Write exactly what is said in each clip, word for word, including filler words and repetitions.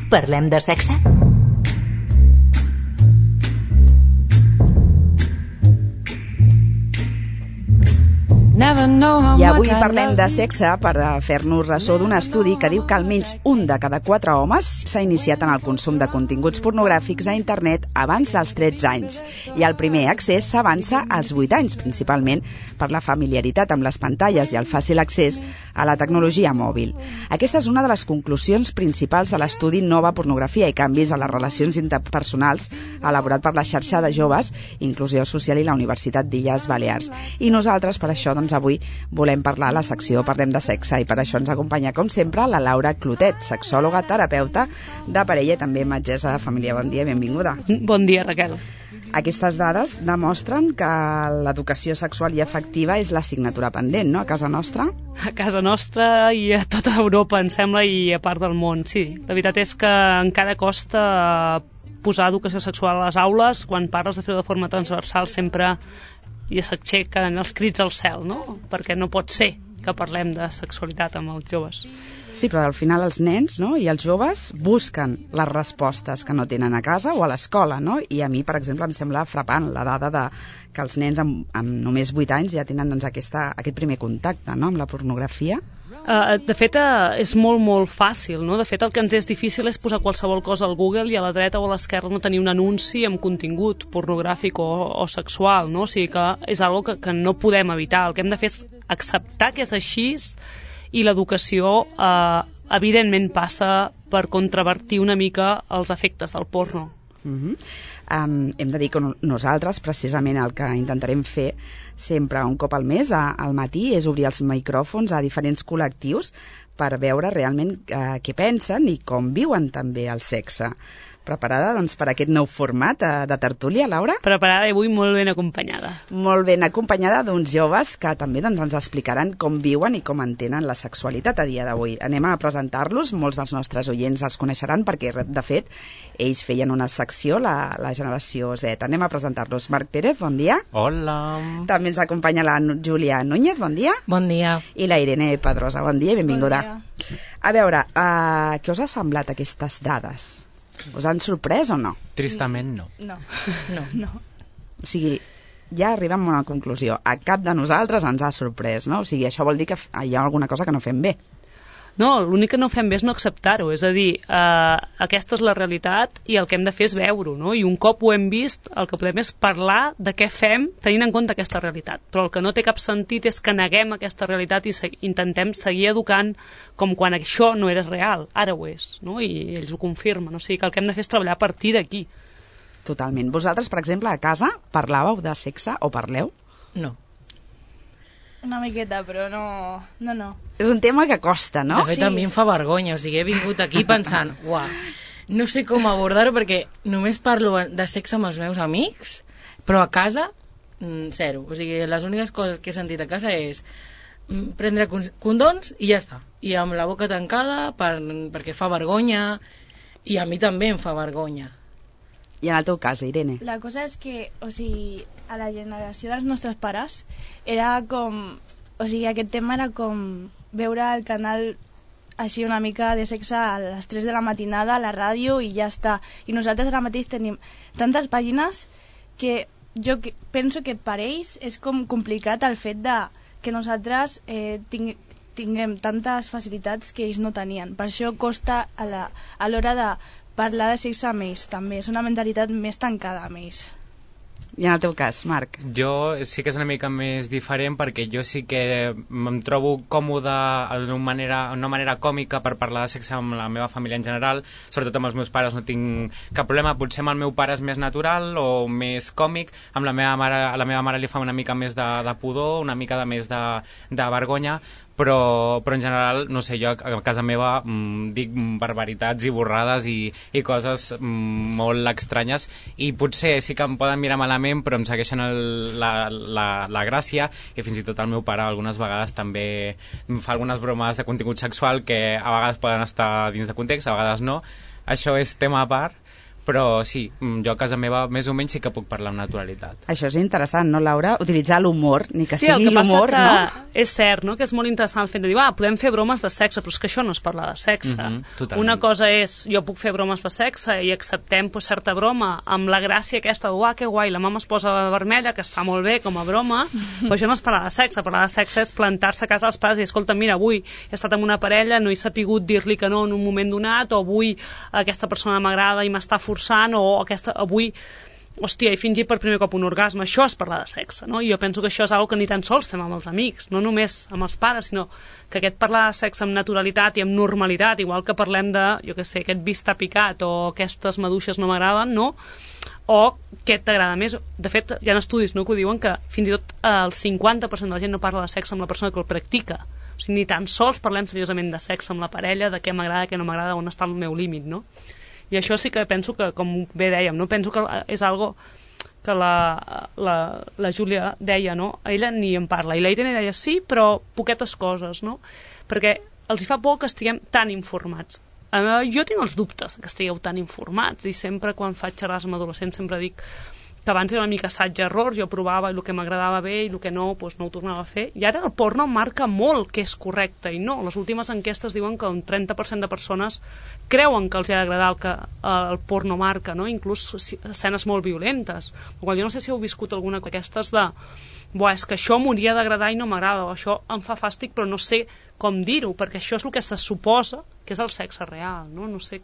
Parlem de sexe? I avui parlem de sexe per fer-nos ressò d'un estudi que diu que almenys un de cada quatre homes s'ha iniciat en el consum de continguts pornogràfics a internet abans dels tretze anys. I el primer accés s'avança als vuit anys, principalment per la familiaritat amb les pantalles i el fàcil accés a la tecnologia mòbil. Aquesta és una de les conclusions principals de l'estudi Nova Pornografia i canvis a les relacions interpersonals elaborat per la xarxa de joves, Inclusió Social i la Universitat d'Illes Balears. I nosaltres, per això, doncs, avui volem parlar a la secció Parlem de sexe i per això ens acompanya, com sempre, la Laura Clotet, sexòloga, terapeuta de parella i també metgessa de família. Bon dia, benvinguda. Bon dia, Raquel. Aquestes dades demostren que l'educació sexual i afectiva és l'assignatura pendent, no?, a casa nostra? A casa nostra i a tota Europa, em sembla, i a part del món, sí. La veritat és que encara costa posar educació sexual a les aules. Quan parles de fer-ho de forma transversal sempre i s'aixequen els crits al cel, no? Perquè no pot ser que parlem de sexualitat amb els joves. Sí, però al final els nens, no?, i els joves busquen les respostes que no tenen a casa o a l'escola, no? I a mi, per exemple, em sembla frapant la dada de que els nens amb, amb només vuit anys ja tenen doncs, aquesta, aquest primer contacte, no?, amb la pornografia. Uh, de fet, uh, és molt, molt fàcil, no? De fet, el que ens és difícil és posar qualsevol cosa al Google i a la dreta o a l'esquerra no tenir un anunci amb contingut pornogràfic o, o sexual, no? O sigui que és algo que, que no podem evitar. El que hem de fer és acceptar que és així i l'educació, uh, evidentment, passa per contravertir una mica els efectes del porno. Uh-huh. Um, hem de dir que nosaltres precisament el que intentarem fer sempre un cop al mes a, al matí és obrir els micròfons a diferents col·lectius per veure realment uh, què pensen i com viuen també el sexe. Preparada doncs, per aquest nou format uh, de tertúlia, Laura? Preparada i avui molt ben acompanyada. Molt ben acompanyada d'uns joves que també doncs, ens explicaran com viuen i com entenen la sexualitat a dia d'avui. Anem a presentar-los, molts dels nostres oients els coneixeran perquè, de fet, ells feien una secció, la, la generació Z. Anem a presentar-los. Marc Pérez, bon dia. Hola. També ens acompanya la Júlia Núñez, bon dia. Bon dia. I la Irene Pedrosa, bon dia i benvinguda. Bon dia. A veure, uh, què us ha semblat aquestes dades? Us han sorprès o no? Tristament no. No. No. No. O sigui, ja arribem a una conclusió. A cap de nosaltres ens ha sorprès, no? O sigui, això vol dir que hi ha alguna cosa que no fem bé. No, l'únic que no fem bé és no acceptar-ho, és a dir, eh, aquesta és la realitat i el que hem de fer és veure-ho, no? I un cop ho hem vist, el que podem és parlar de què fem tenint en compte aquesta realitat. Però el que no té cap sentit és que neguem aquesta realitat i se intentem seguir educant com quan això no era real, ara ho és, no? I ells ho confirmen, o sigui que el que hem de fer és treballar a partir d'aquí. Totalment. Vosaltres, per exemple, a casa parlàveu de sexe o parleu? No. Una miqueta, però no... No, no. És un tema que costa, no? De fet, a mi em fa vergonya, o sigui, he vingut aquí pensant, uah, no sé com abordar-ho perquè només parlo de sexe amb els meus amics, però a casa, zero. O sigui, les úniques coses que he sentit a casa és prendre condons i ja està. I amb la boca tancada per, perquè fa vergonya, i a mi també em fa vergonya. I en el teu cas, Irene? La cosa és que, o sigui, a la generació dels nostres pares era com... O sigui, aquest tema era com veure el canal així una mica de sexe a les tres de la matinada a la ràdio i ja està. I nosaltres ara mateix tenim tantes pàgines que jo que penso que per ells és com complicat el fet de que nosaltres eh, ting tinguem tantes facilitats que ells no tenien. Per això costa a la, a l'hora de parlar de sexe amb ells també. És una mentalitat més tancada amb ells. I en el teu cas, Marc? Jo sí que és una mica més diferent perquè jo sí que em trobo còmode d'una manera, una manera còmica per parlar de sexe amb la meva família en general, sobretot amb els meus pares no tinc cap problema, potser amb el meu pare és més natural o més còmic, amb la meva mare, a la meva mare li fa una mica més de, de pudor, una mica de més de, de vergonya, però, però en general, no sé, jo a casa meva mmm, dic barbaritats i borrades i, i coses mmm, molt estranyes i potser sí que em poden mirar malament però em segueixen el, la, la, la gràcia i fins i tot el meu pare algunes vegades també em fa algunes bromes de contingut sexual que a vegades poden estar dins de context, a vegades no, això és tema a part, però sí, jo a casa meva més o menys sí que puc parlar amb naturalitat. Això és interessant, no, Laura? Utilitzar l'humor, ni que sí, sigui l'humor, que no? És cert, no?, que és molt interessant el fet de dir, ah, podem fer bromes de sexe, però és que això no és parlar de sexe. Mm-hmm, una cosa és, jo puc fer bromes de sexe i acceptem pues, certa broma amb la gràcia aquesta, uah, que guai, la mama es posa vermella, que està molt bé com a broma, però això no és parlar de sexe. Parlar de sexe és plantar-se a casa dels pares i dir, escolta, mira, avui he estat amb una parella, no he sapigut dir-li que no en un moment donat, o avui aquesta persona m'agrada i m'està forçant, o aquesta, avui, hòstia, he fingit per primer cop un orgasme. Això és parlar de sexe, no? I jo penso que això és una cosa que ni tan sols fem amb els amics, no només amb els pares, sinó que aquest parlar de sexe amb naturalitat i amb normalitat, igual que parlem de, jo què sé, aquest vi està picat o aquestes maduixes no m'agraden, no? O què t'agrada més. De fet, hi ha estudis, no?, que ho diuen que fins i tot el cinquanta per cent de la gent no parla de sexe amb la persona que el practica. O sigui, ni tan sols parlem seriosament de sexe amb la parella, de què m'agrada, què no m'agrada, on està el meu límit, no? I això sí que penso que, com bé dèiem, no? Penso que és algo que la, la, la Júlia deia, no? Ella ni en parla. I la Irene deia, sí, però poquetes coses, no? Perquè els hi fa por que estiguem tan informats. Uh, jo tinc els dubtes que estigueu tan informats i sempre quan faig xerrades amb adolescents sempre dic que abans era una mica assaig-error, jo provava el que m'agradava bé i el que no, doncs no ho tornava a fer. I ara el porno marca molt que és correcte i no. Les últimes enquestes diuen que un trenta per cent de persones creuen que els ha d'agradar el que el porno marca, no? Inclús escenes molt violentes. Jo no sé si heu viscut alguna d'aquestes de buah, és que això m'hauria d'agradar i no m'agrada, o això em fa fàstic però no sé com dir-ho, perquè això és el que se suposa que és el sexe real, no? No sé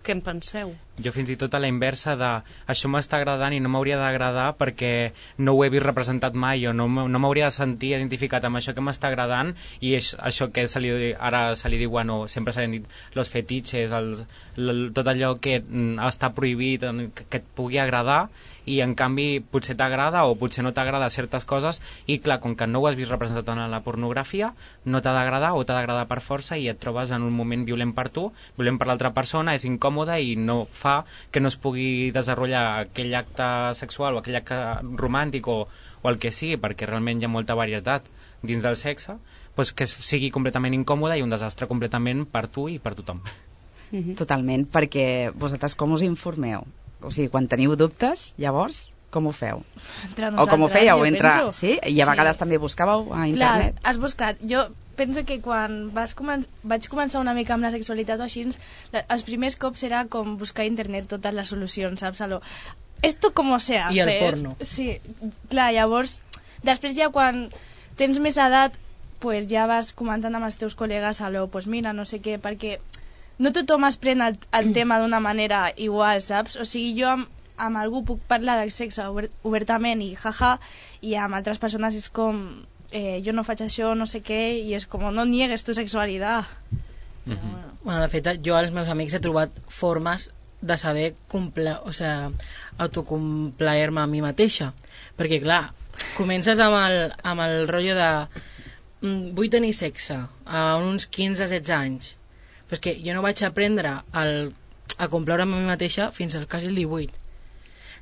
què en penseu. Jo fins i tot a la inversa de això m'està agradant i no m'hauria d'agradar perquè no ho he vist representat mai o no, no m'hauria de sentir identificat amb això que m'està agradant i és això que se li, ara se li diuen o sempre se li han dit los fetitxes, els, l, tot allò que mm, està prohibit que, que et pugui agradar i en canvi potser t'agrada o potser no t'agrada certes coses i clar, com que no ho has vist representat en la pornografia no t'ha d'agradar o t'ha d'agradar per força i et trobes en un moment violent per tu, violent per l'altra persona, és incòmode i no fa que no es pugui desenvolupar aquell acte sexual o aquell acte romàntic o, o el que sigui, perquè realment hi ha molta varietat dins del sexe, doncs que sigui completament incòmode i un desastre completament per tu i per tothom. Mm-hmm. Totalment, perquè vosaltres com us informeu? O sigui, quan teniu dubtes, llavors, com ho feu? O com ho fèieu? Entre... Sí? I a vegades sí. També buscàveu a internet? Clar, has buscat. Jo penso que quan vas comen... vaig començar una mica amb la sexualitat o així, els primers cops era com buscar a internet totes les solucions, saps? Alò, esto como se hace. I el porno. Sí, clar, llavors, després ja quan tens més edat, pues ja vas comentant amb els teus col·legues, alò, pues mira, no sé què, perquè no tothom es pren el, el tema d'una manera igual, saps? O sigui, jo amb, amb algú puc parlar de sexe obertament i jaja, i amb altres persones és com... Eh, jo no faig això, no sé què, i és com, no niegues tu sexualitat. Mm-hmm. Bueno, de fet, jo als meus amics he trobat formes de saber comple... o sea, autocomplaer-me a mi mateixa. Perquè, clar, comences amb el, amb el rotllo de mm, vull tenir sexe a uns quinze a setze anys. Però és que jo no vaig aprendre el, a complaure'm a mi mateixa fins al quasi el divuit.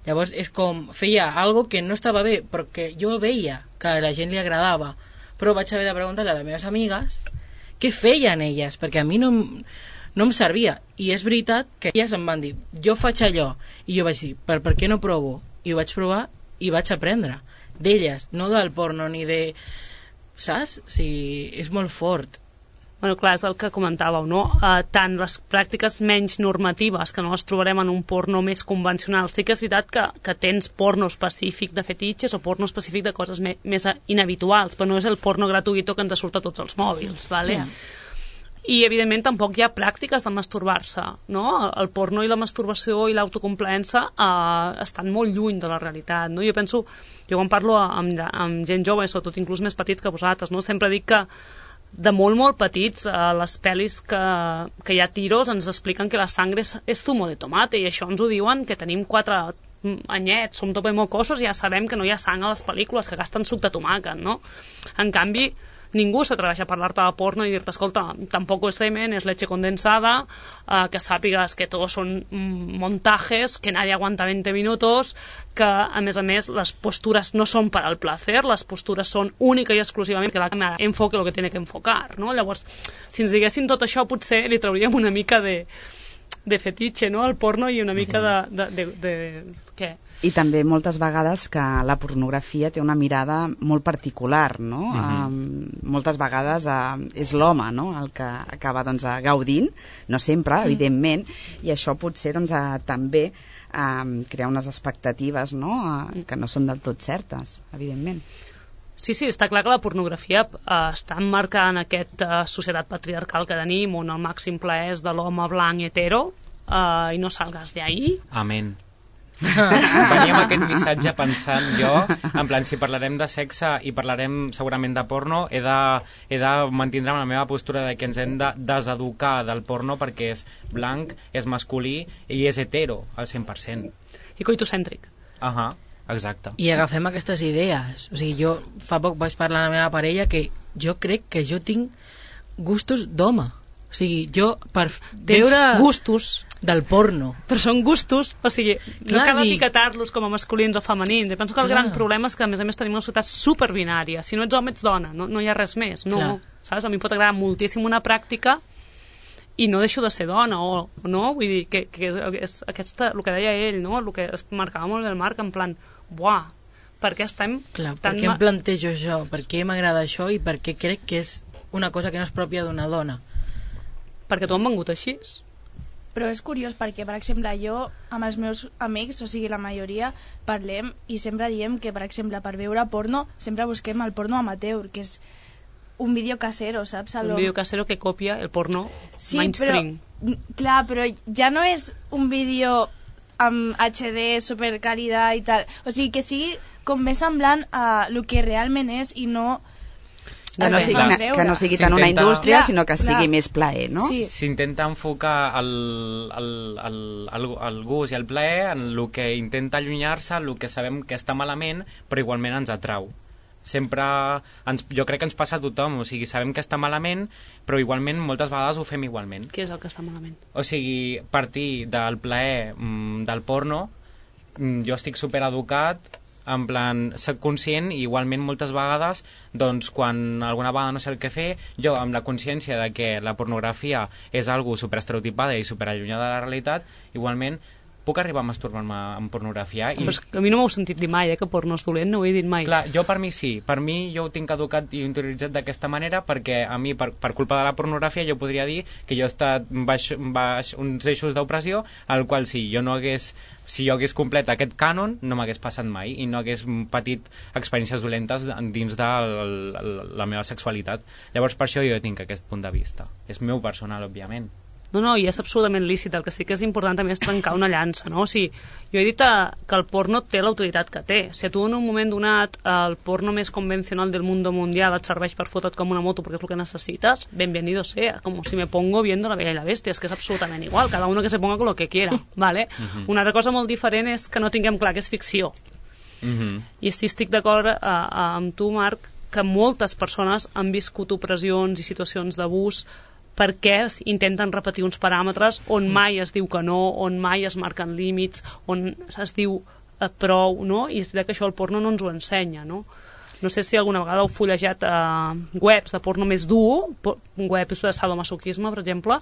Llavors és com, feia algo que no estava bé, però que jo veia que a la gent li agradava, però vaig haver de preguntar a les meves amigues què feien elles, perquè a mi no, no em servia. I és veritat que elles em van dir, jo faig allò, i jo vaig dir, per, per què no provo? I ho vaig provar i vaig aprendre d'elles, no del porno ni de... saps? O sigui, és molt fort. Bueno, clar, és el que comentàveu, no? Uh, tant les pràctiques menys normatives, que no les trobarem en un porno més convencional. Sí que és veritat que, que tens porno específic de fetitxes o porno específic de coses me, més inhabituals, però no és el porno gratuït que ens surt a tots els mòbils, vale? Yeah. I, evidentment, tampoc hi ha pràctiques de masturbar-se, no? El porno i la masturbació i l'autocomplaença uh, estan molt lluny de la realitat, no? Jo penso, jo quan parlo amb, amb gent jove, sobretot inclús més petits que vosaltres, no? Sempre dic que de molt, molt petits, a les pel·lis que, que hi ha tiros ens expliquen que la sangre és, és zumo de tomate i això ens ho diuen que tenim quatre anyets, som topemocosos i ja sabem que no hi ha sang a les pel·lícules, que gasten suc de tomàquet, no? En canvi, ningú s'atreveix a parlar-te de porno i dir-te, escolta, tampoc és semen, és leche condensada, eh, que sàpigues que tots són montajes, que nadie aguanta veinte minutos, que, a més a més, les postures no són per al placer, les postures són única i exclusivament que la càmera enfoque el que tiene que enfocar, no? Llavors, si ens diguessin tot això, potser li trauríem una mica de de fetitxe, no?, el porno i una mica Sí. de, de, de, de... Què? I també moltes vegades que la pornografia té una mirada molt particular, no? Mhm. Um, moltes vegades uh, és l'home, no?, el que acaba doncs, uh, gaudint, no sempre, Mm. evidentment, i això potser doncs, uh, també um, crea unes expectatives, no?, uh, que no són del tot certes, evidentment. Sí, sí, està clar que la pornografia eh, està emmarcada en aquesta societat patriarcal que tenim, on el màxim plaer és de l'home blanc hetero, eh, i no salgas de ahí. Amén. Venia amb aquest missatge pensant jo, en plan, si parlarem de sexe i parlarem segurament de porno, he de, he de mantindre la meva postura de que ens hem de deseducar del porno perquè és blanc, és masculí i és hetero al cent per cent. I coitocèntric. Ahà, exacte. I agafem aquestes idees. O sigui, jo fa poc vaig parlar amb la meva parella que jo crec que jo tinc gustos d'home. O sigui, jo per Tens veure gustos, del porno. però són gustos, o sigui, no Clar, cal i- etiquetar-los com a masculins o femenins. Jo penso que el Clar. gran problema és que, a més a més, tenim una societat superbinària. Si no ets home, ets dona, no, no hi ha res més. No, Clar. saps? A mi em pot agradar moltíssim una pràctica i no deixo de ser dona, o, o no? Vull dir, que, que és aquesta, el que deia ell, no? El que es marcava molt bé el Marc, en plan, buah, per què estem Clar, per tan... què ma- em plantejo això? Per què m'agrada això i per què crec que és una cosa que no és pròpia d'una dona? Perquè t'ho han vengut així. Però és curiós perquè, per exemple, jo amb els meus amics, o sigui, la majoria, parlem i sempre diem que, per exemple, per veure porno, sempre busquem el porno amateur, que és un vídeo casero, saps? A Un lo- vídeo casero que copia el porno Sí, mainstream. però, n- clar, però ja no és un vídeo amb H D, supercalidad i tal. O sigui, que sigui com més semblant a el que realment és i no... Que no, el sigui, fan una, veure. que no sigui tant una S'intenta- indústria, Clar, sinó que clar. sigui més plaer, no? Sí. S'intenta enfocar el, el, el, el, el gust i el plaer en el que intenta allunyar-se, el que sabem que està malament, però igualment ens atrau. Sempre, ens, jo crec que ens passa a tothom, o sigui, sabem que està malament, però igualment moltes vegades ho fem igualment. Què és el que està malament? O sigui, partir del plaer mm, del porno, mm, jo estic supereducat, en plan, soc conscient i igualment moltes vegades, doncs quan alguna vegada no sé el que fer, jo amb la consciència de que la pornografia és algo superestereotipada i superallunyada de la realitat, igualment puc arribar a masturbar-me amb pornografia i Però és que a mi no m'heu sentit dir mai, eh, que porno és dolent, no ho he dit mai. clar, jo per mi sí, per mi jo ho tinc educat i interioritzat d'aquesta manera perquè a mi per, per culpa de la pornografia jo podria dir que jo he estat baix, baix uns eixos d'opressió al qual si jo no hagués si jo hagués complet aquest cànon no m'hagués passat mai i no hagués patit experiències dolentes dins de la, la meva sexualitat. Llavors per això jo tinc aquest punt de vista, és meu personal òbviament. No, no, i és absolutament lícit. El que sí que és important també és trencar una llança, no? O sigui, jo he dit eh, que el porno té l'autoritat que té. Si a tu en un moment donat el porno més convencional del mundo mundial et serveix per fotre't com una moto perquè és el que necessites, bienvenido sea. Como si me pongo viendo La Bella y la Bestia. És que és absolutament igual. Cada uno que se ponga con lo que quiera, ¿vale? Mhm. Una altra cosa molt diferent és que no tinguem clar que és ficció. Mhm. I sí estic d'acord eh, amb tu, Marc, que moltes persones han viscut opressions i situacions d'abús perquè es intenten repetir uns paràmetres on mai es diu que no, on mai es marquen límits, on es diu eh, prou, no? I és veritat que això el porno no ens ho ensenya, no? No sé si alguna vegada heu fullejat eh, webs de porno més dur, po- webs de sadomasoquisme, per exemple,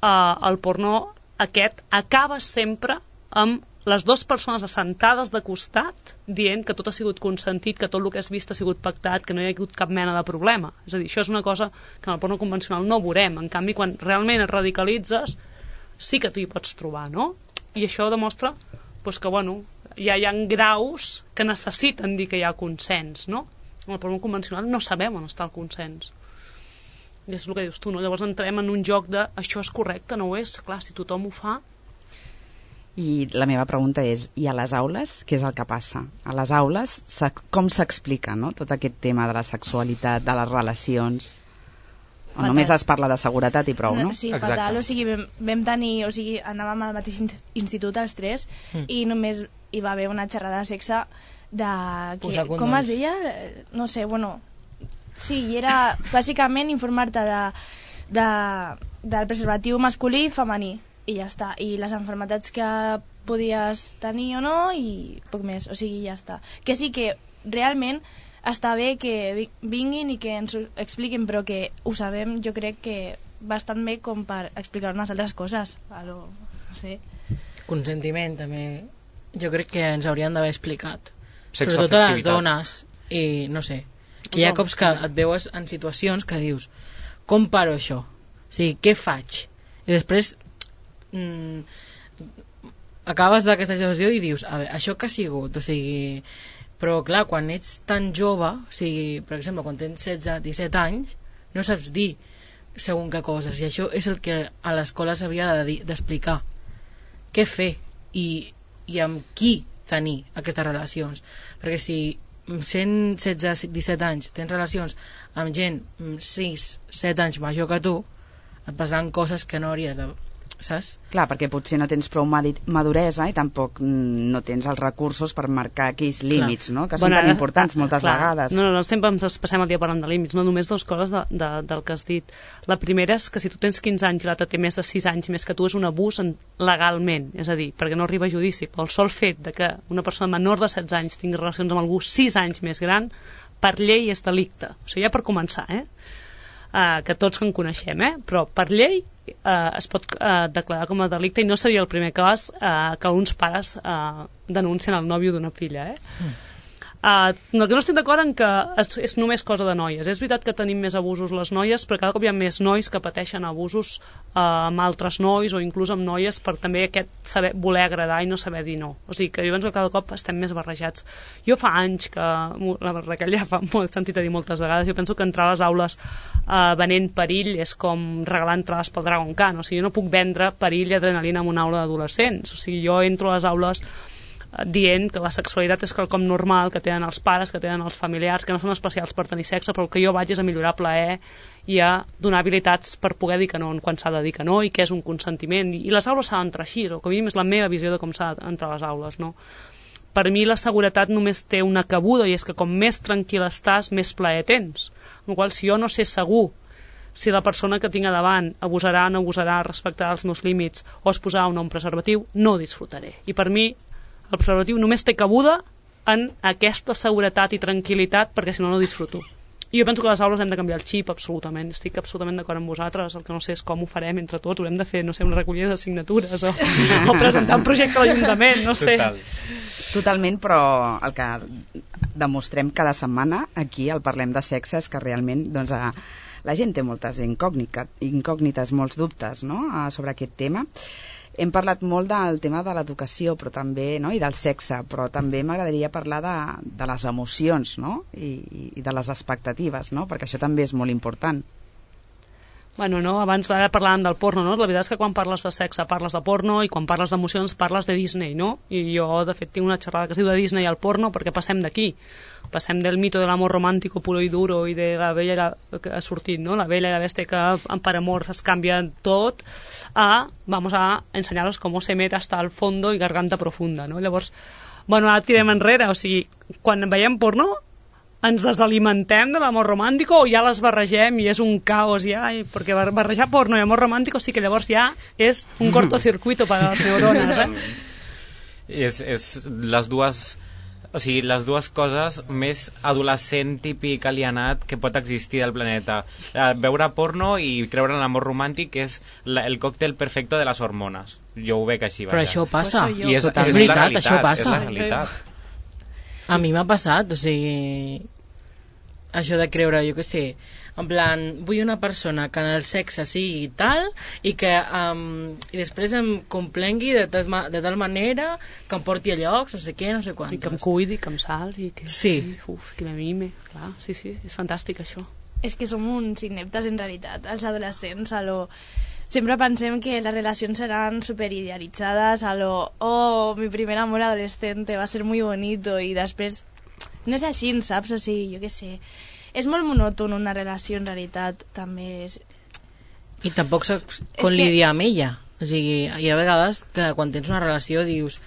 eh, el porno aquest acaba sempre amb les dues persones assentades de costat dient que tot ha sigut consentit, que tot el que has vist ha sigut pactat, que no hi ha hagut cap mena de problema. És a dir, això és una cosa que en el porno convencional no veurem. En canvi, quan realment et radicalitzes, sí que tu hi pots trobar, no? I això demostra doncs, que, bueno, ja hi ha graus que necessiten dir que hi ha consens, no? En el porno convencional no sabem on està el consens. I és el que dius tu, no? Llavors entrem en un joc de això és correcte, no ho és? Clar, si tothom ho fa... I la meva pregunta és, i a les aules, què és el que passa? A les aules, s'ex- com s'explica, no?, tot aquest tema de la sexualitat, de les relacions? O Fatal. només es parla de seguretat i prou, no? Sí, Exacte. fatal, o sigui, vam, vam tenir, o sigui, anàvem al mateix in- institut els tres Mm. i només hi va haver una xerrada de sexe de... Que, Posar com condoms. es deia? Eh, No sé, bueno... Sí, i era bàsicament informar-te de, de, del preservatiu masculí i femení i ja està, i les enfermetats que podies tenir o no i poc més, o sigui, ja està. Que sí que realment està bé que vi- vinguin i que ens ho expliquin, però que ho sabem, jo crec que bastant bé com per explicar unes altres coses a lo fer. Consentiment, també. Jo crec que ens haurien d'haver explicat. Sexoafectivitat. Sobretot a les dones. I no sé, que hi ha cops que et veus en situacions que dius, com paro això? O sigui, què faig? I després mm, acabes d'aquesta situació i dius, a veure, això que ha sigut? O sigui, però clar, quan ets tan jove, o sigui, per exemple, quan tens setze disset anys, no saps dir segons què coses, i això és el que a l'escola s'havia de dir, d'explicar. Què fer i, i amb qui tenir aquestes relacions? Perquè si sent setze disset anys tens relacions amb gent sis set anys major que tu, et passaran coses que no hauries de... saps? Clar, perquè potser no tens prou maduresa i tampoc no tens els recursos per marcar aquells límits, no? Que són bueno, tan importants moltes clar, vegades. No, no, no, sempre ens passem el dia parlant de límits, no? Només dues coses de, de, del que has dit. La primera és que si tu tens quinze anys i l'altre té més de sis anys més que tu, és un abús en, legalment, és a dir, perquè no arriba a judici. Pel sol fet de que una persona menor de setze anys tingui relacions amb algú sis anys més gran, per llei és delicte. O sigui, ja per començar, eh? Uh, que tots en coneixem, eh? Però per llei uh, es pot uh, declarar com a delicte i no seria el primer cas uh, que uns pares uh, denuncien el nòvio d'una filla, eh? Mm. Uh, el que no estic d'acord en que és, és només cosa de noies. És veritat que tenim més abusos les noies, però cada cop hi ha més nois que pateixen abusos uh, amb altres nois o inclús amb noies, per també aquest saber, voler agradar i no saber dir no. O sigui que jo penso que cada cop estem més barrejats. Jo fa anys que, la Raquel ja fa molt sentit a dir moltes vegades, jo penso que entrar a les aules uh, venent perill és com regalar entrades pel Dragon Khan. O sigui, jo no puc vendre perill i adrenalina en una aula d'adolescents. O sigui, jo entro a les aules dient que la sexualitat és quelcom normal que tenen els pares, que tenen els familiars, que no són especials per tenir sexe, però el que jo vaig és a millorar plaer i a donar habilitats per poder dir que no quan s'ha de dir que no i què és un consentiment. I les aules s'han d'entrar així, o com a mínim és la meva visió de com s'ha d'entrar a les aules, no? Per mi la seguretat només té una cabuda i és que com més tranquil estàs, més plaer tens. En qual, si jo no sé segur si la persona que tinc a davant abusarà, no abusarà, respectarà els meus límits o es posarà o no un preservatiu, no disfrutaré. I per mi el preservatiu només té cabuda en aquesta seguretat i tranquil·litat, perquè si no, no disfruto. I jo penso que a les aules hem de canviar el xip, absolutament. Estic absolutament d'acord amb vosaltres. El que no sé és com ho farem entre tots. Haurem de fer, no sé, una recollida de signatures o, o presentar un projecte a l'Ajuntament, no sé. Total. Totalment, però el que demostrem cada setmana aquí al Parlem de Sexe és que realment doncs, la gent té moltes incògnites, incògnites molts dubtes, no?, sobre aquest tema. Hem parlat molt del tema de l'educació, però també, no?, i del sexe, però també m'agradaria parlar de, de les emocions, no?, I, i de les expectatives, no?, perquè això també és molt important. Bueno, no, abans ara parlàvem del porno, no? La veritat és que quan parles de sexe parles de porno i quan parles d'emocions parles de Disney, no? I jo, de fet, tinc una xerrada que es diu de Disney al porno perquè passem d'aquí. Passem del mito de l'amor romàntico puro y duro i de la bella i la, que ha sortit, no? La bella i la bèstia que per amor es canvia tot a, vamos a enseñaros cómo se mete hasta el fondo y garganta profunda, no? Llavors, bueno, ara tirem enrere, o sigui, quan veiem porno ens desalimentem de l'amor romàntico o ja les barregem i és un caos ja, i, perquè barrejar porno i amor romàntico sí que llavors ja és un cortocircuito per a les neurones, eh? És, és les dues, o sigui, les dues coses més adolescent típic alienat que pot existir al planeta. Veure porno i creure en l'amor romàntic és la, el còctel perfecte de les hormones. Jo ho veig així. Però això passa. I és, és, és és veritat, realitat, això passa. És la realitat. A mi m'ha passat, o sigui, això de creure, jo què sé, en plan, vull una persona que en el sexe sigui tal i que um, i després em complengui de, tas, de tal manera que em porti a llocs, no sé què, no sé quantos. I que em cuidi, que em salvi, que, sí. Uf, que me mime, clar, sí, sí, és fantàstic això. És que som uns ineptes en realitat, els adolescents, a lo... Sempre pensem que les relacions seran superidealitzades, a lo, oh, mi primer amor adolescente va ser muy bonito, i després no és així, saps? O sigui, jo què sé, és molt monòton una relació, en realitat, també és... I tampoc saps com que... lidiar amb ella. O sigui, hi ha vegades que quan tens una relació dius,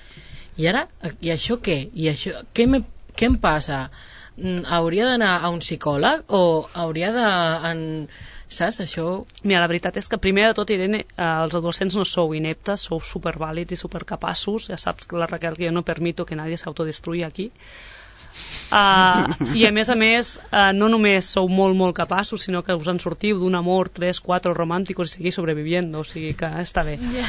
i ara, i això què? I això, què, me, què em passa? Hauria d'anar a un psicòleg o hauria de... En... Saps, això... Mira, la veritat és que primer de tot, Irene, eh, els adolescents no sou ineptes, sou supervàlids i supercapaços. Ja saps, la Raquel, que jo no permito que nadie s'autodestruï aquí. Uh, I a més a més, uh, no només sou molt, molt capaços, sinó que us en sortiu d'un amor tres, quatre romànticos i seguir sobreviviendo, o sigui que està bé. Yeah.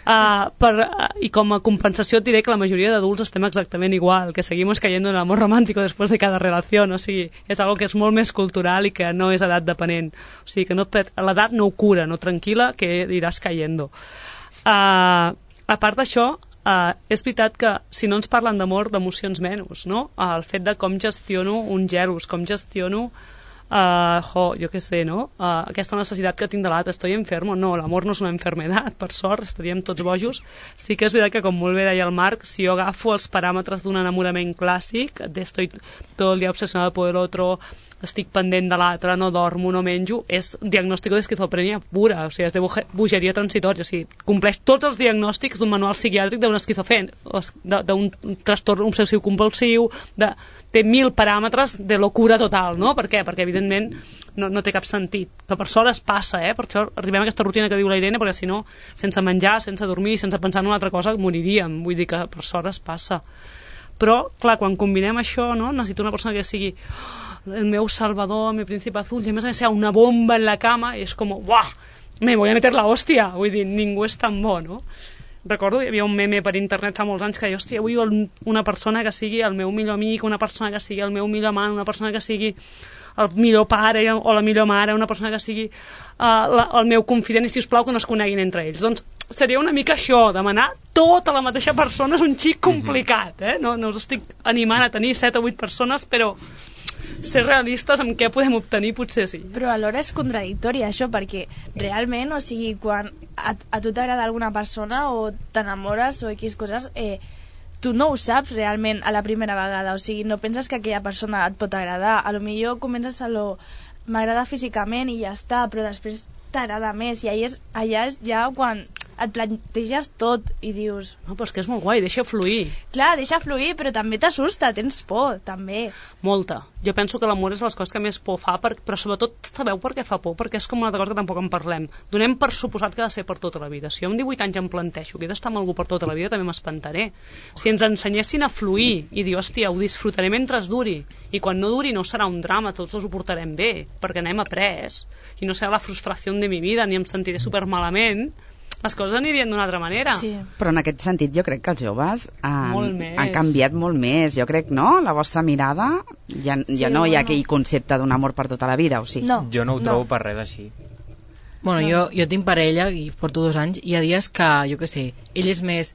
Uh, per, uh, I com a compensació et diré que la majoria d'adults estem exactament igual, que seguimos cayendo en el amor romántico después de cada relación, o sigui, és algo que és molt més cultural i que no és edat depenent. O sigui, que no, l'edat no ho cura, no tranquil·la, que iràs cayendo. Uh, a part d'això, uh, és veritat que si no ens parlen d'amor, d'emocions menys, no? Uh, el fet de com gestiono un gelos, com gestiono Uh, jo, jo què sé, no? Uh, aquesta necessitat que tinc de l'altre, estoy enfermo, no, l'amor no és una enfermedad, per sort, estaríem tots bojos. Sí que és veritat que, com molt bé deia el Marc, si jo agafo els paràmetres d'un enamorament clàssic, de estoy todo el día obsesionado por el otro, estic pendent de l'altre, no dormo, no menjo, és diagnòstic d'esquizofrènia pura, o sigui, és de bogeria transitòria, o sigui, compleix tots els diagnòstics d'un manual psiquiàtric d'un esquizofrèn, d'un trastorn obsessiu compulsiu, de, té mil paràmetres de locura total, no? Per què? Perquè, evidentment, no, no té cap sentit. Que per sort es passa, eh? Per això arribem a aquesta rutina que diu la Irene, perquè si no, sense menjar, sense dormir, sense pensar en una altra cosa, moriríem. Vull dir que per sort es passa. Però, clar, quan combinem això, no? Necessito una persona que sigui el meu salvador, mi príncipe azul, i a més a més hi ha una bomba en la cama, i és com, uah, me voy a meter la hòstia. Vull dir, ningú és tan bo, no? Recordo, hi havia un meme per internet fa molts anys que deia, hòstia, vull una persona que sigui el meu millor amic, una persona que sigui el meu millor amant, una persona que sigui el millor pare o la millor mare, una persona que sigui uh, la, el meu confident, i sisplau que no es coneguin entre ells. Doncs seria una mica això, demanar tota la mateixa persona és un xic complicat, eh? No, no us estic animant a tenir set o vuit persones, però ser realistes amb què podem obtenir potser sí. Però alhora és contradictori això, perquè realment, o sigui, quan a, a tu t'agrada alguna persona o t'enamores o X coses, eh, tu no ho saps realment a la primera vegada, o sigui, no penses que aquella persona et pot agradar, a lo millor comences a lo m'agrada físicament i ja està, però després t'agrada més, i allà és, allà és ja quan et planteges tot i dius... No, però és que és molt guai, deixa fluir. Clar, deixa fluir, però també t'assusta, tens por, també. Molta. Jo penso que l'amor és les coses que més por fa, per, però sobretot sabeu per què fa por? Perquè és com una altra cosa que tampoc en parlem. Donem per suposat que ha de ser per tota la vida. Si jo amb divuit anys em plantejo que he d'estar amb algú per tota la vida, també m'espantaré. Si ens ensenyessin a fluir i dir, hòstia, ho disfrutaré mentre es duri, i quan no duri no serà un drama, tots ho portarem bé, perquè n'hem après, i no serà la frustració de mi vida, ni em sentiré supermalament, les coses anirien d'una altra manera. Sí. Però en aquest sentit jo crec que els joves han, han canviat molt més. Jo crec, no? La vostra mirada, ja, sí, ja no hi ha aquell concepte d'un amor per tota la vida, o sí? No, jo no ho trobo no. per res així. Bueno, no. jo, jo tinc parella i porto dos anys i hi ha dies que, jo què sé, ell és més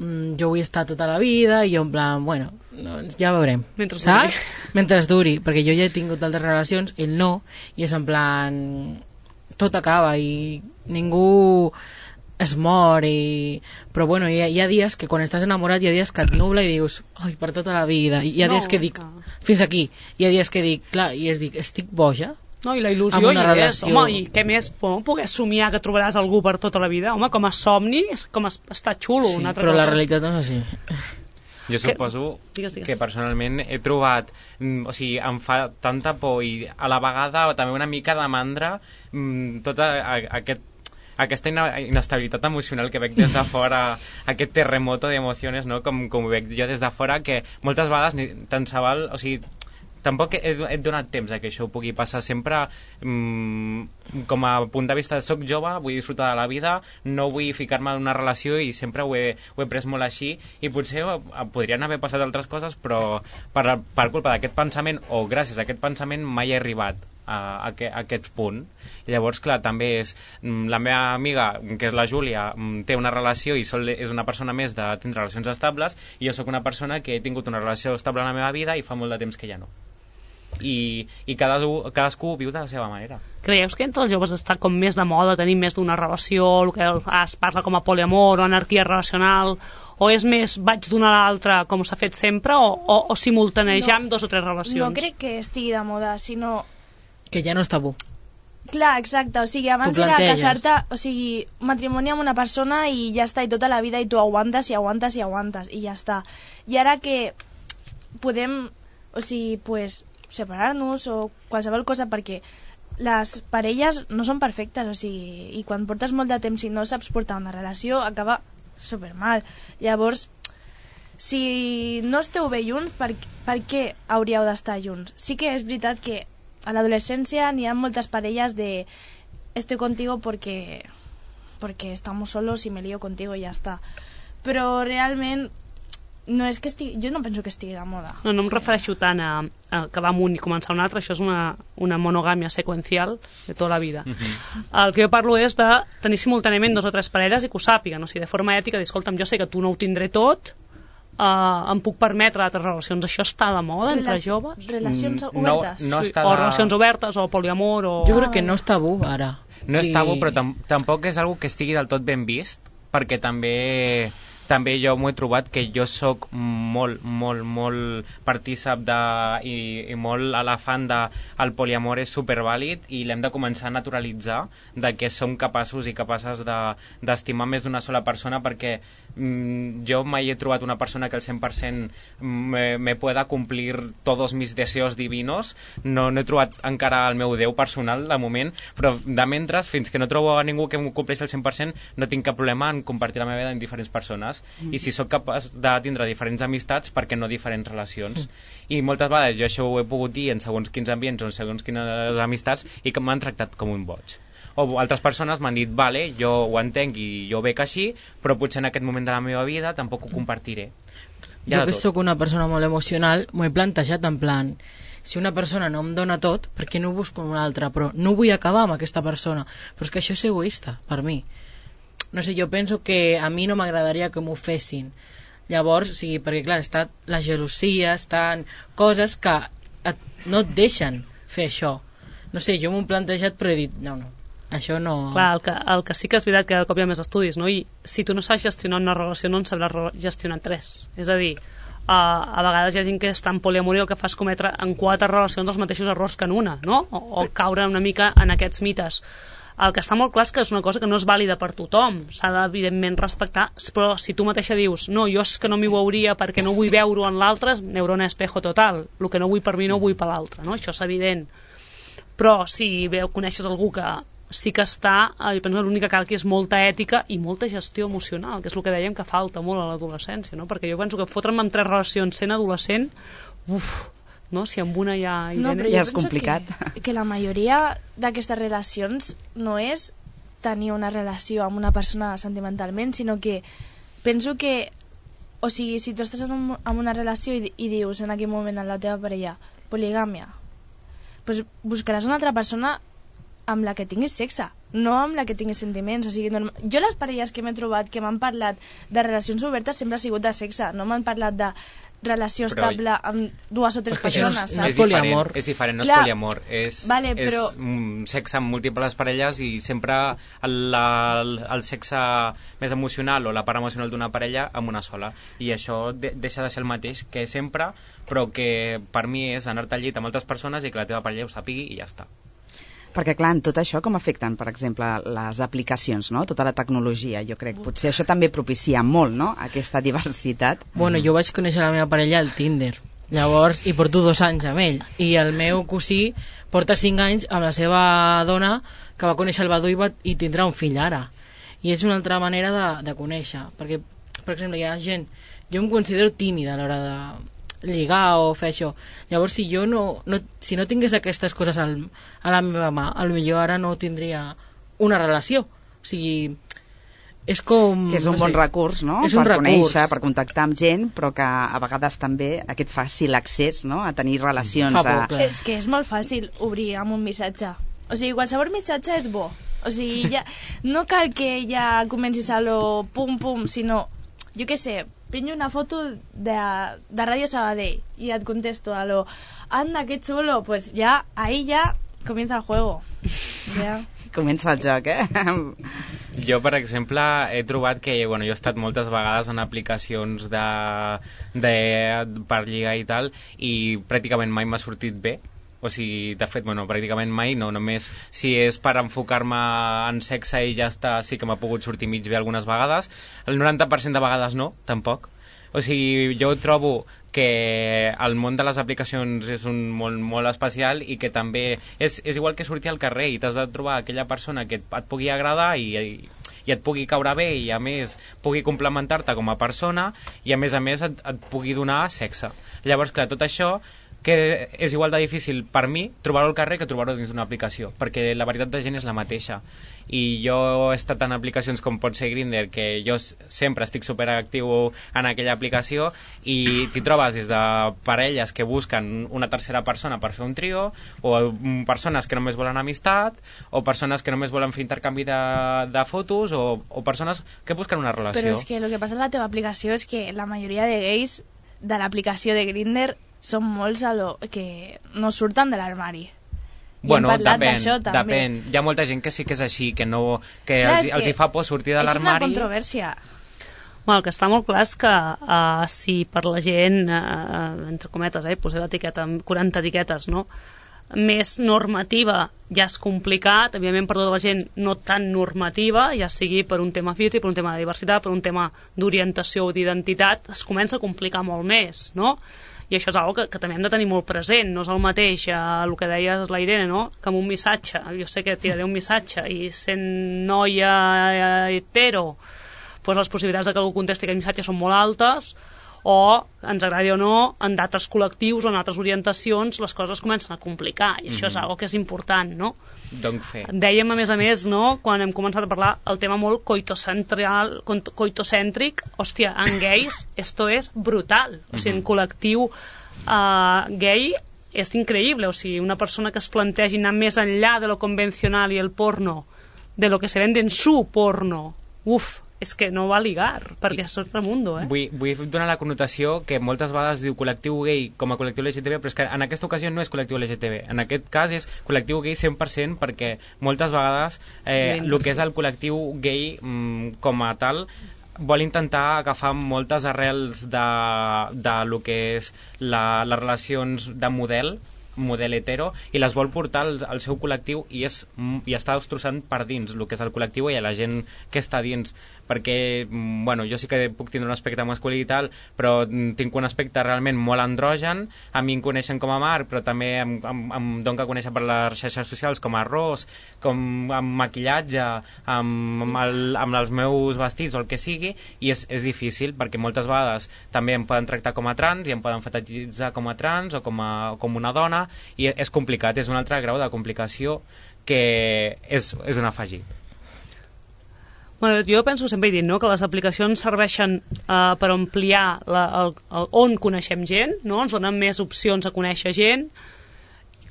mm, jo vull estar tota la vida i jo en plan, bueno, doncs ja veurem. Mentre saps? duri. Mentre duri, perquè jo ja he tingut altres relacions, ell no, i és en plan tot acaba i ningú es mor i... però bueno, hi ha, hi ha dies que quan estàs enamorat hi ha dies que et nubla i dius ai, per tota la vida, i hi ha no, dies que dic no. fins aquí, hi ha dies que dic clar, i es dic, estic boja? No, i la il·lusió hi és, home, i què més no, poder somiar que trobaràs algú per tota la vida, home, com a somni com a, està xulo, sí, una altra però cosa. La realitat no és així. Jo suposo que, digues, digues. que personalment he trobat, o sigui, em fa tanta por i a la vegada també una mica de mandra tot aquest aquesta inestabilitat emocional que veig des de fora, aquest terremoto d'emocions, no? com, com ho veig jo des de fora, que moltes vegades ni tant se val, o sigui, tampoc he, he donat temps a que això ho pugui passar sempre mmm, com a punt de vista de soc jove, vull disfrutar de la vida, no vull ficar-me en una relació i sempre ho he, ho he pres molt així i potser podrien haver passat altres coses, però per, per culpa d'aquest pensament o gràcies a aquest pensament mai he arribat a, a, a aquest punt. I llavors, clar, també és la meva amiga, que és la Júlia, té una relació i sol, és una persona més de tenir relacions estables, i jo sóc una persona que he tingut una relació estable en la meva vida i fa molt de temps que ja no. I, i cadascú, cadascú viu de la seva manera. Creieu que entre els joves està com més de moda tenir més d'una relació, el que es parla com a poliamor o anarquia relacional, o és més vaig d'una a l'altra com s'ha fet sempre, o, o, o simultanejar amb no, dos o tres relacions? No crec que estigui de moda, sinó que ja no és tabú. Clar, exacte, o sigui, abans era casar-te, o sigui, matrimoni amb una persona i ja està, i tota la vida, i tu aguantes i aguantes i aguantes, i ja està. I ara que podem, o sigui, pues, separar-nos o qualsevol cosa, perquè les parelles no són perfectes, o sigui, i quan portes molt de temps i no saps portar una relació, acaba supermal. Llavors, si no esteu bé junts, per, per què hauríeu d'estar junts? Sí que és veritat que a l'adolescència n'hi ha moltes parelles de estoy contigo porque porque estamos solos y me lío contigo y ya està. Però realment no és que estigui, jo no penso que estigui de moda. No, no em refereixo tant a, a acabar amb un i començar un altre, això és una, una monogàmia seqüencial de tota la vida. Uh-huh. El que jo parlo és de tenir simultàniament dos o tres parelles i que ho sàpiguen, o sigui, de forma ètica, dir, escolta'm, jo sé que tu no ho tindré tot, uh, em puc permetre altres relacions. Això està de moda entre Relaci- joves? Relacions Mm, obertes? no, no Sí, està o de- relacions obertes, o poliamor, o... Jo crec que no és tabú, ara. No és Sí. tabú, però tam tampoc és algo que estigui del tot ben vist, perquè també també jo m'ho he trobat que jo sóc molt, molt, molt partícip de, i, i molt elefant de el poliamor és supervàlid i l'hem de començar a naturalitzar de que som capaços i capaces d'estimar de, més d'una sola persona, perquè mm, jo mai he trobat una persona que al cent per cent me, me pueda cumplir todos mis deseos divinos. No, no he trobat encara el meu Déu personal de moment, però de mentre, fins que no trobo a ningú que m'ho compleixi al cent per cent, no tinc cap problema en compartir la meva vida amb diferents persones. Mm. I si sóc capaç de tindre diferents amistats, per què no diferents relacions? Mm. I moltes vegades jo això ho he pogut dir en segons quins ambients o en segons quines amistats i que m'han tractat com un boig. O altres persones m'han dit, vale, jo ho entenc i jo ho veig així, però potser en aquest moment de la meva vida tampoc ho compartiré. Jo que sóc una persona molt emocional, m'ho he plantejat en plan, si una persona no em dona tot, per què no busco una altra? Però no vull acabar amb aquesta persona. Però és que això és egoista, per mi. No sé, jo penso que a mi no m'agradaria que m'ho fessin. Llavors, o sigui, perquè clar, està la gelosia, estan coses que et, no et deixen fer això. No sé, jo m'ho he plantejat però he dit, no, no, això no... Clar, el que, el que sí que és veritat que cada cop hi ha més estudis, no? I si tu no saps gestionar una relació no en sabràs re- gestionar tres. És a dir, uh, a vegades hi ha gent que està en poliamor i el que fa és cometre en quatre relacions els mateixos errors que en una, no? O, o caure una mica en aquests mites. El que està molt clar és que és una cosa que no és vàlida per tothom, s'ha de, evidentment, respectar, però si tu mateixa dius, no, jo és que no m'hi veuria perquè no vull veure-ho en l'altre, neurona espejo total, el que no vull per mi no ho vull per l'altre, no? Això és evident. Però si veu, coneixes algú que sí que està, eh, jo penso que l'únic que cal que és molta ètica i molta gestió emocional, que és el que dèiem que falta molt a l'adolescència, no? Perquè jo penso que fotre'm amb tres relacions sent adolescent, uf, no? Si amb una ja hi No, anem. però Ja jo és penso complicat. Que, que la majoria d'aquestes relacions no és tenir una relació amb una persona sentimentalment, sinó que penso que, o sigui, si tu estàs en, un, en una relació i, i dius en aquell moment a la teva parella poligàmia, pues buscaràs una altra persona amb la que tinguis sexe, no amb la que tinguis sentiments. O sigui, norm... jo les parelles que m'he trobat que m'han parlat de relacions obertes sempre ha sigut de sexe, no m'han parlat de relació Però estable amb dues o tres Perquè això persones, és- saps? és diferent, poliamor. és diferent, no Clar. és poliamor, és, Vale, però- és mm, sexe amb múltiples parelles i sempre el, el, el sexe més emocional o la part emocional d'una parella amb una sola, i això de, deixa de ser el mateix que sempre, però que per mi és anar-te al llit amb altres persones i que la teva parella ho sàpigui i ja està. Perquè, clar, en tot això com afecten, per exemple, les aplicacions, no? Tota la tecnologia, jo crec. Potser això també propicia molt, no?, aquesta diversitat. Bueno, jo vaig conèixer la meva parella al Tinder. Llavors, i porto dos anys amb ell. I el meu cosí porta cinc anys amb la seva dona, que va conèixer el Badú i, va, i tindrà un fill ara. I és una altra manera de, de conèixer. Perquè, per exemple, hi ha gent... Jo em considero tímida a l'hora de lligar o fer això. Llavors, si jo no, no, si no tingués aquestes coses al, a la meva mà, a lo millor ara no tindria una relació. O sigui, és com... Que és un no bon sé, recurs, no?, és per un recurs. conèixer, per contactar amb gent, però que a vegades també aquest fàcil accés, no?, a tenir relacions... Fa por, a... clar. És que és molt fàcil obrir amb un missatge. O sigui, qualsevol missatge és bo. O sigui, ja, no cal que ja comencis a lo pum pum, sinó, jo què sé, penjo una foto de, de Ràdio Sabadell i et contesto a lo anda, que xulo, pues ya, ahí ya comienza el juego. Ja. Comença el joc, eh? Jo, per exemple, he trobat que, bueno, jo he estat moltes vegades en aplicacions de, de, per lligar i tal, i pràcticament mai m'ha sortit bé. O sigui, de fet, bueno, pràcticament mai, no, només si és per enfocar-me en sexe i ja està, sí que m'ha pogut sortir mig bé algunes vegades. El noranta per cent de vegades no, tampoc. O sigui, jo trobo que el món de les aplicacions és un món molt especial i que també és, és igual que sortir al carrer i t'has de trobar aquella persona que et, et pugui agradar i, i, i et pugui caure bé i a més pugui complementar-te com a persona i a més a més et, et pugui donar sexe. Llavors, clar, tot això que és igual de difícil per mi trobar-ho al carrer que trobar-ho dins d'una aplicació, perquè la varietat de gent és la mateixa. I jo he estat en aplicacions com pot ser Grindr, que jo sempre estic superactiu en aquella aplicació, i t'hi trobes des de parelles que busquen una tercera persona per fer un trio, o persones que només volen amistat, o persones que només volen fer intercanvi de, de fotos, o, o persones que busquen una relació. Però és que el que passa en la teva aplicació és que la majoria de gais de l'aplicació de Grindr són molts a lo que no surten de l'armari. Bueno, depèn, depèn. Hi ha molta gent que sí que és així, que, no, que clar, els, els hi fa por sortir de l'armari. És una controvèrsia. Bueno, el que està molt clar és que uh, si per la gent, uh, entre cometes, eh, poseu l'etiqueta amb quaranta etiquetes, no?, més normativa ja és complicat, evidentment per tota la gent no tan normativa, ja sigui per un tema físic, per un tema de diversitat, per un tema d'orientació o d'identitat, es comença a complicar molt més, no? I això és una cosa que, que també hem de tenir molt present. No és el mateix eh, el que deies la Irene, no?, que amb un missatge, jo sé que tiraré un missatge i sent noia eh, hetero, doncs les possibilitats de que algú contesti aquest missatge són molt altes, o, ens agradi o no, en d'altres col·lectius o en altres orientacions les coses comencen a complicar, i això mm-hmm. és una cosa que és important, no? Donc fer. Dèiem, a més a més, no?, quan hem començat a parlar el tema molt coitocentral, coitocèntric, hòstia, en gais esto és brutal, o sigui, en col·lectiu uh, gay és increïble, o sigui, una persona que es plantegi anar més enllà de lo convencional i el porno, de lo que se vende en su porno, uf, és que no va ligar, perquè és altre mundo, eh? Vull, vull donar la connotació que moltes vegades diu col·lectiu gay com a col·lectiu L G T B, però és que en aquesta ocasió no és col·lectiu L G T B, en aquest cas és col·lectiu gay cent per cent, perquè moltes vegades eh, el que és el col·lectiu gay mm, com a tal vol intentar agafar moltes arrels de, de lo que és la, les relacions de model model hetero, i les vol portar al, al seu col·lectiu, i, és, i està destrossant per dins el que és el col·lectiu i a la gent que està dins, perquè bueno, jo sí que puc tindre un aspecte masculí i tal, però tinc un aspecte realment molt androgen, a mi em coneixen com a Marc, però també em, em, em dono a conèixer per les xarxes socials com a Ros, com amb maquillatge, amb, amb, el, amb els meus vestits o el que sigui, i és, és difícil, perquè moltes vegades també em poden tractar com a trans i em poden fetichitzar com a trans o com, a, com una dona, i és complicat, és un altre grau de complicació que és, és un afegit. Bueno, jo penso, sempre he dit, no?, que les aplicacions serveixen uh, per ampliar la, el, el, on coneixem gent, no?, ens donen més opcions a conèixer gent.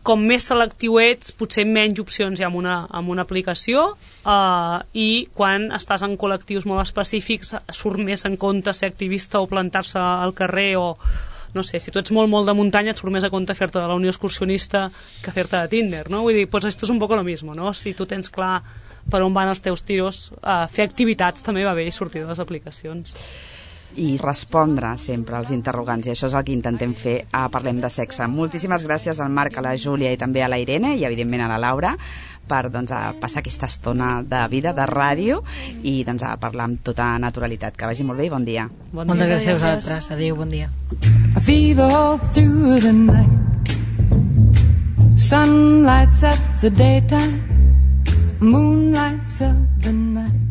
Com més selectiu ets, potser menys opcions hi ha en una, en una aplicació, uh, i quan estàs en col·lectius molt específics surt més en compte ser activista o plantar-se al carrer, o no sé, si tu ets molt, molt de muntanya et surt més a compte fer-te de la Unió Excursionista que fer-te de Tinder, no? Vull dir, pues esto es un poco lo mismo, no? Si tu tens clar per on van els teus tiros, uh, fer activitats també va bé i sortir de les aplicacions. I respondre sempre als interrogants, i això és el que intentem fer a Parlem de Sexe. Moltíssimes gràcies al Marc, a la Júlia i també a la Irene, i evidentment a la Laura, per doncs, a passar aquesta estona de vida, de ràdio, i doncs, a parlar amb tota naturalitat. Que vagi molt bé i bon dia. Bon dia. Moltes gràcies a vosaltres. Adéu, bon dia. I fever all through the night. Sun lights up the daytime. Moon lights up the night.